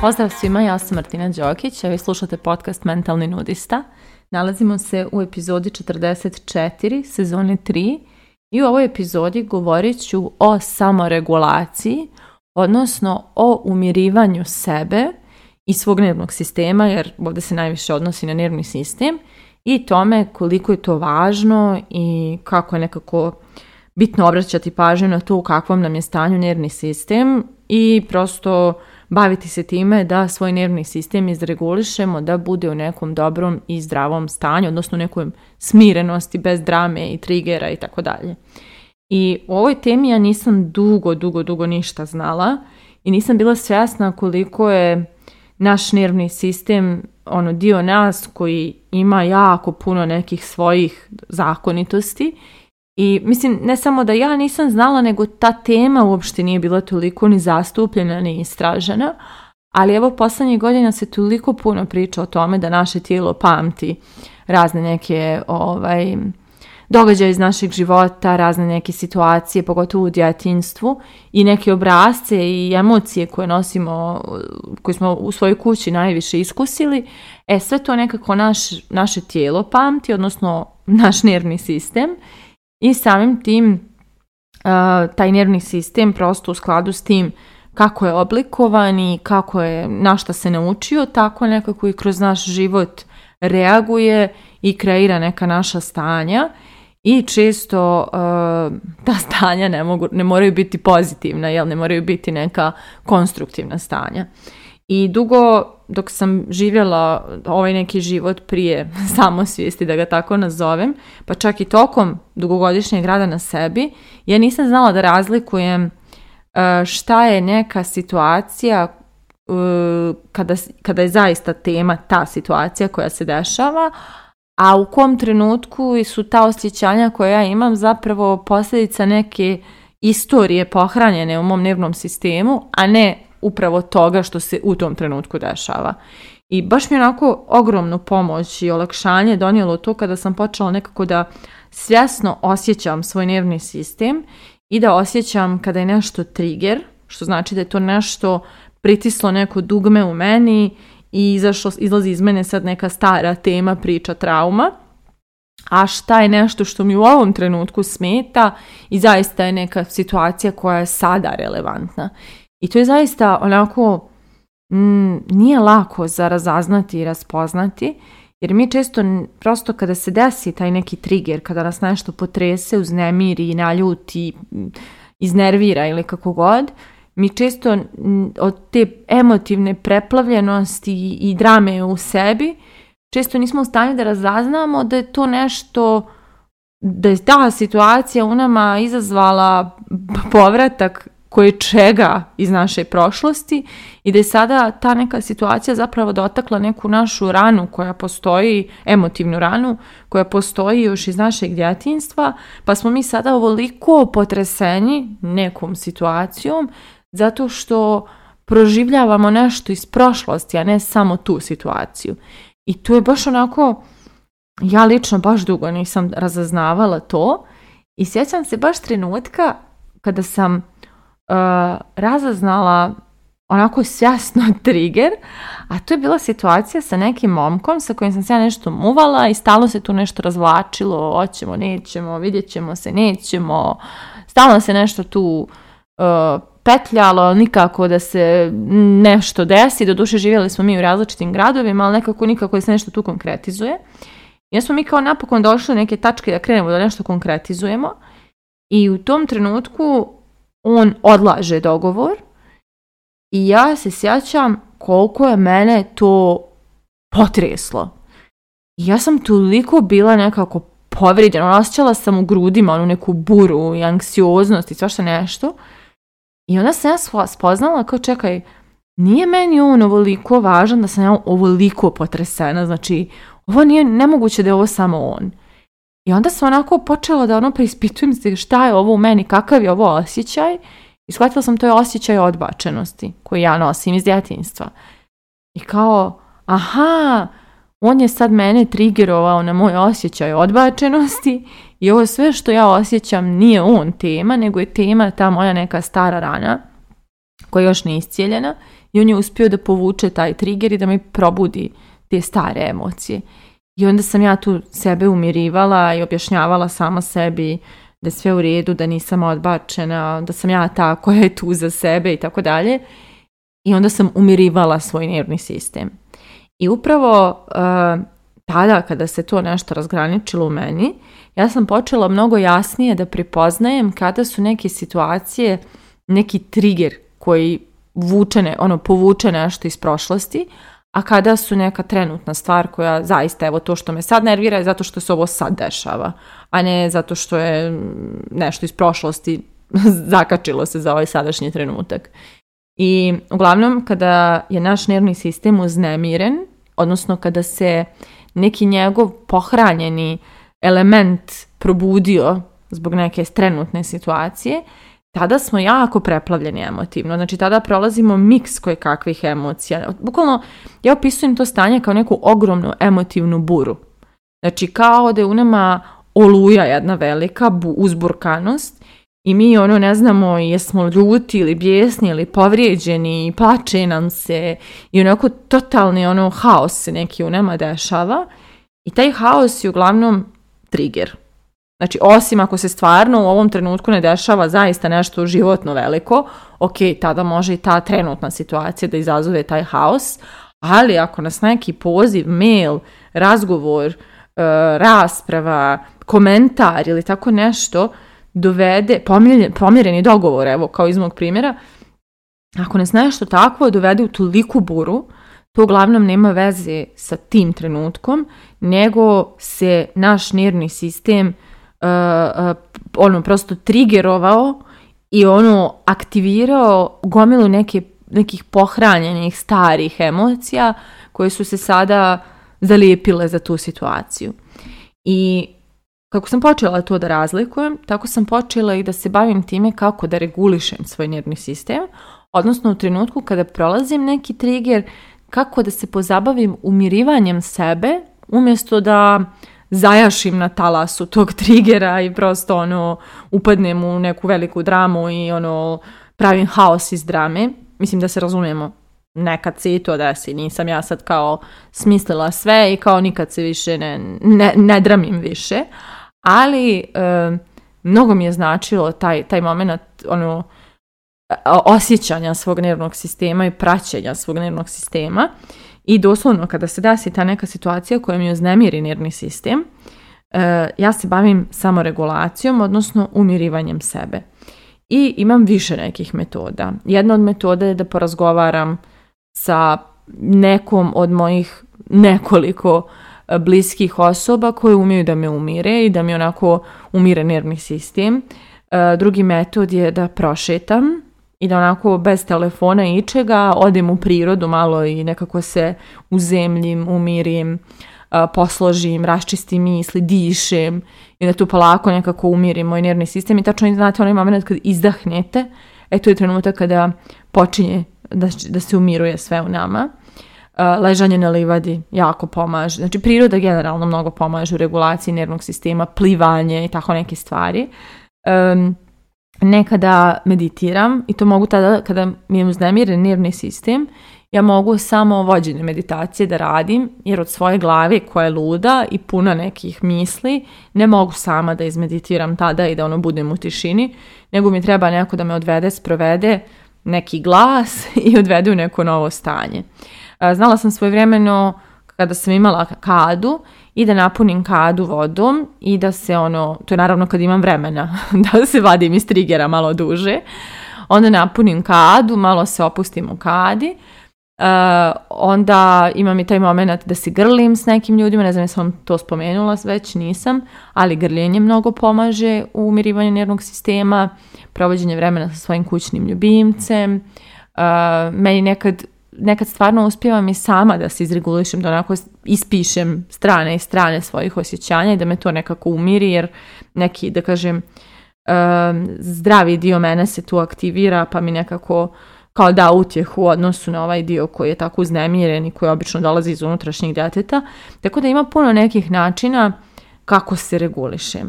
Pozdrav svima, ja sam Martina Đokić, a vi slušate podcast Mentalni nudista. Nalazimo se u epizodi 44, sezone 3 i u ovoj epizodi govorit ću o samoregulaciji, odnosno o umirivanju sebe i svog nervnog sistema, jer ovdje se najviše odnosi na nervni sistem, i tome koliko je to važno i kako je nekako bitno obraćati pažnju na to u kakvom nam je stanju nervni sistem i prosto baviti se time da svoj nervni sistem izregulišemo, da bude u nekom dobrom i zdravom stanju, odnosno nekoj smirenosti, bez drame i trigera i tako dalje. I u ovoj temi ja nisam dugo ništa znala i nisam bila svjesna koliko je naš nervni sistem dio nas koji ima jako puno nekih svojih zakonitosti. I mislim, ne samo da ja nisam znala, nego ta tema uopšte nije bila toliko ni zastupljena, ni istražena, ali evo poslednjih godina se toliko puno priča o tome da naše tijelo pamti razne neke događaje iz našeg života, razne neke situacije, pogotovo u djetinjstvu, i neke obrasce i emocije koje nosimo, koje smo u svojoj kući najviše iskusili. Sve to nekako naše tijelo pamti, odnosno naš nervni sistem. I samim tim taj nervni sistem prosto u skladu s tim kako je oblikovan i kako je na šta se naučio, tako nekako i kroz naš život reaguje i kreira neka naša stanja. I često ta stanja ne moraju biti pozitivna, ne moraju biti neka konstruktivna stanja. I dugo dok sam živjela ovaj neki život prije samosvijesti, da ga tako nazovem, pa čak i tokom dugogodišnjeg rada na sebi, ja nisam znala da razlikujem šta je neka situacija kada je zaista tema ta situacija koja se dešava, a u kom trenutku su ta osjećanja koja ja imam zapravo posljedica neke istorije pohranjene u mom nervnom sistemu, a ne upravo toga što se u tom trenutku dešava. I baš mi je onako ogromnu pomoć i olakšanje donijelo to kada sam počela nekako da svjesno osjećam svoj nervni sistem i da osjećam kada je nešto trigger, što znači da je to nešto pritislo neko dugme u meni i izlazi iz mene sad neka stara tema, priča, trauma, a šta je nešto što mi u ovom trenutku smeta i zaista je neka situacija koja je sada relevantna. I to je zaista onako, nije lako za razaznati i raspoznati, jer mi često prosto kada se desi taj neki trigger, kada nas nešto potrese, uznemiri, naljuti, iznervira ili kako god, mi često od te emotivne preplavljenosti i drame u sebi, često nismo u stanju da razaznamo da je to nešto, da je ta situacija u nama izazvala povratak koje čega iz naše prošlosti i da je sada ta neka situacija zapravo dotakla neku našu ranu koja postoji, emotivnu ranu koja postoji još iz našeg djetinjstva, pa smo mi sada ovoliko potreseni nekom situacijom zato što proživljavamo nešto iz prošlosti, a ne samo tu situaciju. I to je baš onako, ja lično baš dugo nisam razaznavala to i sjećam se baš trenutka kada sam razaznala onako svjesno trigger, a to je bila situacija sa nekim momkom sa kojim sam se ja nešto muvala i stalno se tu nešto razvlačilo, hoćemo, nećemo, vidjet ćemo se, nećemo, stalno se nešto tu petljalo, nikako da se nešto desi, doduše živjeli smo mi u različitim gradovima, ali nikako da se nešto tu konkretizuje. I smo mi kao napokon došli do neke tačke da krenemo da nešto konkretizujemo i u tom trenutku on odlaže dogovor i ja se sjećam koliko je mene to potreslo. I ja sam toliko bila nekako povrijeđena, osjećala sam u grudima onu neku buru i anksioznost i svašta nešto. I onda sam ja spoznala kao čekaj, nije meni on ovoliko važan da sam ja ovoliko potresena, znači ovo nije nemoguće da je ovo samo on. I onda sam onako počela da preispitujem se šta je ovo u meni, kakav je ovo osjećaj i shvatila sam to je osjećaj odbačenosti koji ja nosim iz djetinjstva. I kao, aha, on je sad mene triggerovao na moj osjećaj odbačenosti i ovo sve što ja osjećam nije on tema, nego je tema ta moja neka stara rana koja još nije iscijeljena i on je uspio da povuče taj trigger i da mi probudi te stare emocije. I onda sam ja tu sebe umirivala i objašnjavala sama sebi da je sve u redu, da nisam odbačena, da sam ja ta koja je tu za sebe i tako dalje. I onda sam umirivala svoj nervni sistem. I upravo tada kada se to nešto razgraničilo u meni, ja sam počela mnogo jasnije da prepoznajem kada su neke situacije, neki trigger koji povuče nešto iz prošlosti, a kada su neka trenutna stvar koja zaista, evo to što me sad nervira je zato što se ovo sad dešava, a ne zato što je nešto iz prošlosti zakačilo se za ovaj sadašnji trenutak. I uglavnom kada je naš nervni sistem uznemiren, odnosno kada se neki njegov pohranjeni element probudio zbog neke trenutne situacije, tada smo jako preplavljeni emotivno. Znači tada prolazimo miks kojekakvih emocija. Bukvalno ja opisujem to stanje kao neku ogromnu emotivnu buru. Znači kao da je u nama oluja jedna velika uzburkanost i mi ne znamo jesmo ljuti ili bijesni ili povrijeđeni, plače nam se i onako totalni haos se neki u nama dešava i taj haos je uglavnom trigger. Znači, osim ako se stvarno u ovom trenutku ne dešava zaista nešto životno veliko, ok, tada može i ta trenutna situacija da izazove taj haos, ali ako nas neki poziv, mail, razgovor, rasprava, komentar ili tako nešto dovede, pomjereni dogovor, evo kao iz mog primjera, ako nas nešto takvo dovede u toliku buru, to uglavnom nema veze sa tim trenutkom, nego se naš nervni sistem prosto triggerovao i aktivirao gomilu nekih pohranjenih starih emocija koje su se sada zalijepile za tu situaciju. I kako sam počela to da razlikujem, tako sam počela i da se bavim time kako da regulišem svoj nervni sistem, odnosno u trenutku kada prolazim neki trigger, kako da se pozabavim umirivanjem sebe, umjesto da zajašim na talasu tog triggera i prosto upadnem u neku veliku dramu i pravim haos iz drame. Mislim da se razumijemo, nekad se i to desi, nisam ja sad kao smislila sve i kao nikad se više ne dramim više, ali mnogo mi je značilo taj moment osjećanja svog nervnog sistema i praćenja svog nervnog sistema. I doslovno kada se desi ta neka situacija koja mi uznemiri nervni sistem, ja se bavim samoregulacijom, odnosno umirivanjem sebe. I imam više nekih metoda. Jedna od metoda je da porazgovaram sa nekom od mojih nekoliko bliskih osoba koje umiju da me umire i da mi onako umire nervni sistem. Drugi metod je da prošetam i da onako bez telefona i ičega odem u prirodu malo i nekako se uzemljim, umirim, posložim, raščistim misli, dišem i da tu polako nekako umirim moj nervni sistem. I tačno znate onaj moment kad izdahnete, to je trenutak kada počinje da se umiruje sve u nama. Ležanje na livadi jako pomaže. Znači priroda generalno mnogo pomaže u regulaciji nervnog sistema, plivanje i tako neke stvari. Nekada meditiram i to mogu tada kada mi je uznemiren nervni sistem, ja mogu samo vođene meditacije da radim, jer od svoje glave koja je luda i puna nekih misli ne mogu sama da izmeditiram tada i da budem u tišini, nego mi treba neko da me odvede, sprovede neki glas i odvede u neko novo stanje. Znala sam svojevremeno kada sam imala kadu i da napunim kadu vodom i da se to je naravno kad imam vremena da se vadim iz triggera malo duže, onda napunim kadu, malo se opustim u kadi, onda imam i taj moment da se grlim s nekim ljudima, ne znam jesam vam to spomenula već, nisam, ali grljenje mnogo pomaže u umirivanju nervnog sistema, provođenje vremena sa svojim kućnim ljubimcem, meni nekad stvarno uspijevam i sama da se izregulišem, da onako ispišem strane i strane svojih osjećanja i da me to nekako umiri, jer neki, da kažem, zdravi dio mene se tu aktivira, pa mi nekako kao da utjehu u odnosu na ovaj dio koji je tako uznemiren i koji obično dolazi iz unutrašnjeg djeteta. Tako da ima puno nekih načina kako se reguliše.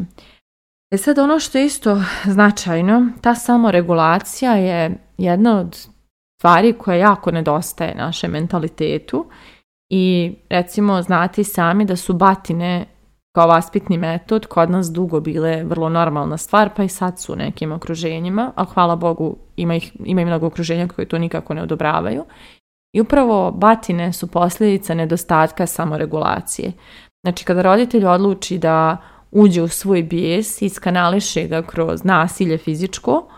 Sad ono što je isto značajno, ta samoregulacija je jedna od stvari koja jako nedostaje našem mentalitetu i recimo znate sami da su batine kao vaspitni metod kod nas dugo bile vrlo normalna stvar, pa i sad su u nekim okruženjima, ali hvala Bogu ima i mnogo okruženja koje to nikako ne odobravaju. I upravo batine su posljedica nedostatka samoregulacije. Znači kada roditelj odluči da uđe u svoj bijes i iskanališe ga kroz nasilje fizičko,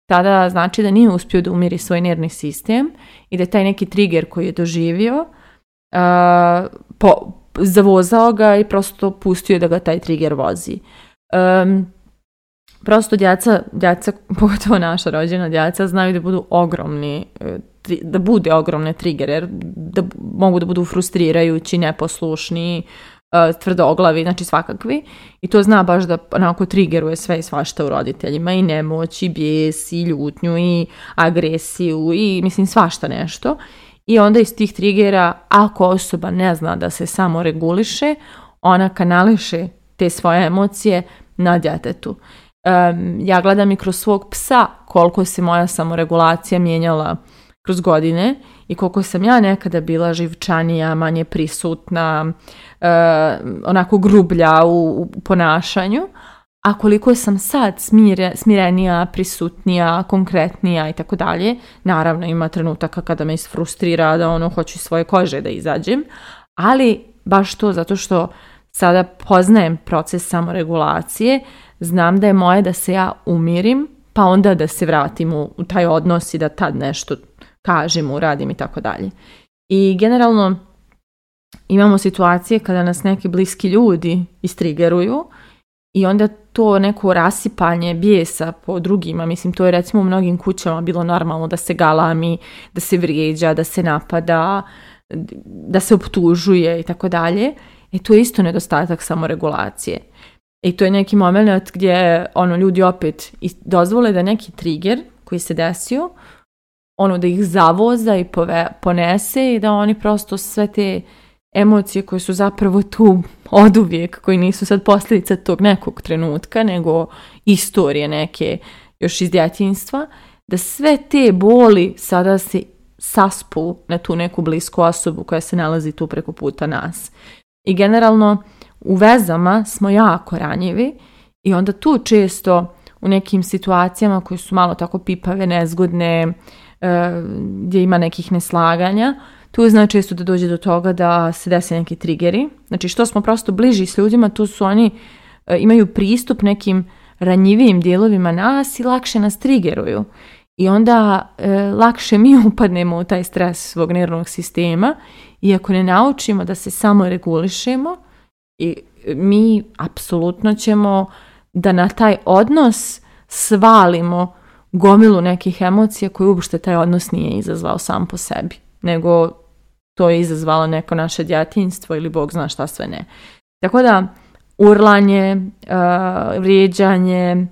tada znači da nije uspio da umiri svoj nervni sistem i da je taj neki trigger koji je doživio zavozao ga i prosto pustio da ga taj trigger vozi. Prosto djeca, pogotovo naša rođena djeca, znaju da budu ogromni, da bude ogromne trigger, da mogu da budu frustrirajući, neposlušni, tvrdoglavi, znači svakakvi. I to zna baš da onako triggeruje sve i svašta u roditeljima, i nemoć, i bijes, i ljutnju, i agresiju, i mislim svašta nešto. I onda iz tih triggera, ako osoba ne zna da se samo reguliše, ona kanališe te svoje emocije na djetetu. Ja gledam i kroz svog psa koliko se moja samoregulacija mijenjala kroz godine i koliko sam ja nekada bila živčanija, manje prisutna, onako grublja u ponašanju, a koliko sam sad smirenija, prisutnija, konkretnija i tako dalje. Naravno ima trenutaka kada me isfrustrira da hoću iz svoje kože da izađem, ali baš to zato što sada poznajem proces samoregulacije, znam da je moje da se ja umirim, pa onda da se vratim u taj odnos i da tad nešto kažem, uradim i tako dalje. I generalno imamo situacije kada nas neki bliski ljudi istrigeruju i onda to neko rasipanje bijesa po drugima, mislim to je recimo u mnogim kućama bilo normalno da se galami, da se vrijeđa, da se napada, da se optužuje i tako dalje. To je isto nedostatak samoregulacije. I to je neki moment gdje ljudi opet dozvole da neki trigger koji se desio, da ih zavoza i ponese i da oni prosto sve te emocije koje su zapravo tu oduvijek, koji nisu sad posljedica tog nekog trenutka, nego istorije neke još iz djetinjstva, da sve te boli sada se saspu na tu neku blisku osobu koja se nalazi tu preko puta nas. I generalno u vezama smo jako ranjivi i onda tu često u nekim situacijama koje su malo tako pipave, nezgodne, gdje ima nekih neslaganja, tu znači često da dođe do toga da se desi neki triggeri. Znači što smo prosto bliži s ljudima, tu su oni, imaju pristup nekim ranjivijim dijelovima nas i lakše nas triggeruju. I onda lakše mi upadnemo u taj stres svog nervnog sistema i ako ne naučimo da se samo regulišemo, i mi apsolutno ćemo da na taj odnos svalimo gomilu nekih emocija koje uopšte taj odnos nije izazvao sam po sebi, nego to je izazvalo neko naše djetinjstvo ili Bog zna šta sve ne. Tako da urlanje, vrijeđanje,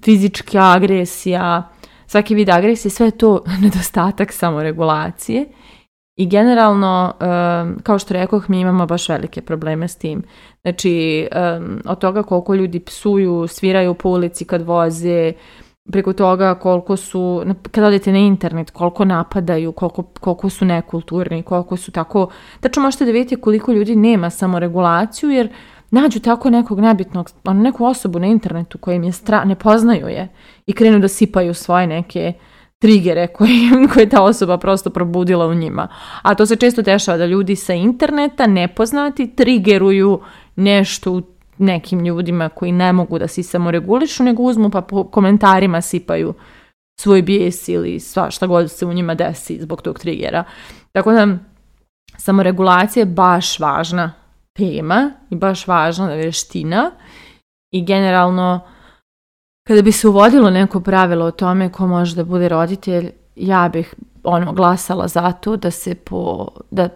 fizička agresija, svaki vid agresije, sve je to nedostatak samoregulacije. I generalno, kao što rekoh, mi imamo baš velike probleme s tim. Znači, od toga koliko ljudi psuju, sviraju po ulici kad voze, preko toga koliko su, kad odete na internet, koliko napadaju, koliko su nekulturni, koliko su tako... Tačno možete da vidite koliko ljudi nema samoregulaciju, jer nađu tako nekog nebitnog, neku osobu na internetu koja im je ne poznaju je i krenu da sipaju svoje neke trigere koje ta osoba prosto probudila u njima. A to se često dešava da ljudi sa interneta nepoznati triggeruju nešto u nekim ljudima koji ne mogu da se samoregulišu, nego uzmu pa po komentarima sipaju svoj bijes ili šta god se u njima desi zbog tog triggera. Tako da samoregulacija je baš važna tema i baš važna vještina i generalno kada bi se uvodilo neko pravilo o tome ko može da bude roditelj, ja bih glasala za to da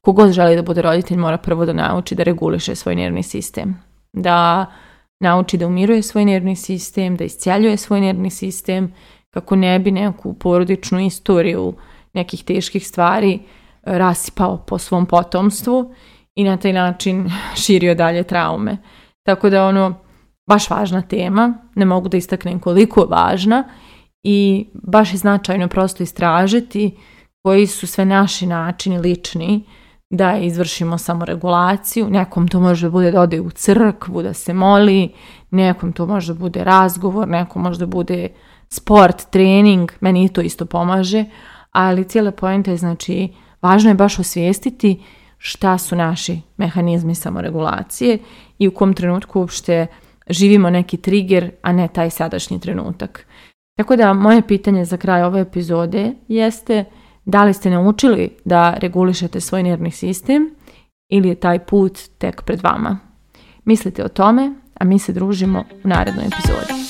kogod želi da bude roditelj mora prvo da nauči da reguliše svoj nervni sistem. Da nauči da umiruje svoj nervni sistem, da iscijeljuje svoj nervni sistem kako ne bi neku porodičnu istoriju nekih teških stvari rasipao po svom potomstvu i na taj način širio dalje traume. Tako da baš važna tema, ne mogu da istaknem koliko je važna i baš je značajno prosto istražiti koji su sve naši načini lični da izvršimo samoregulaciju. Nekom to može bude da ode u crkvu, da se moli, nekom to može bude razgovor, nekom može bude sport, trening, meni to isto pomaže, ali cijela poenta je, znači, važno je baš osvijestiti šta su naši mehanizmi samoregulacije i u kom trenutku uopšte živimo neki trigger, a ne taj sadašnji trenutak. Tako da moje pitanje za kraj ove epizode jeste da li ste naučili da regulišete svoj nervni sistem ili je taj put tek pred vama. Mislite o tome, a mi se družimo u narednoj epizodi.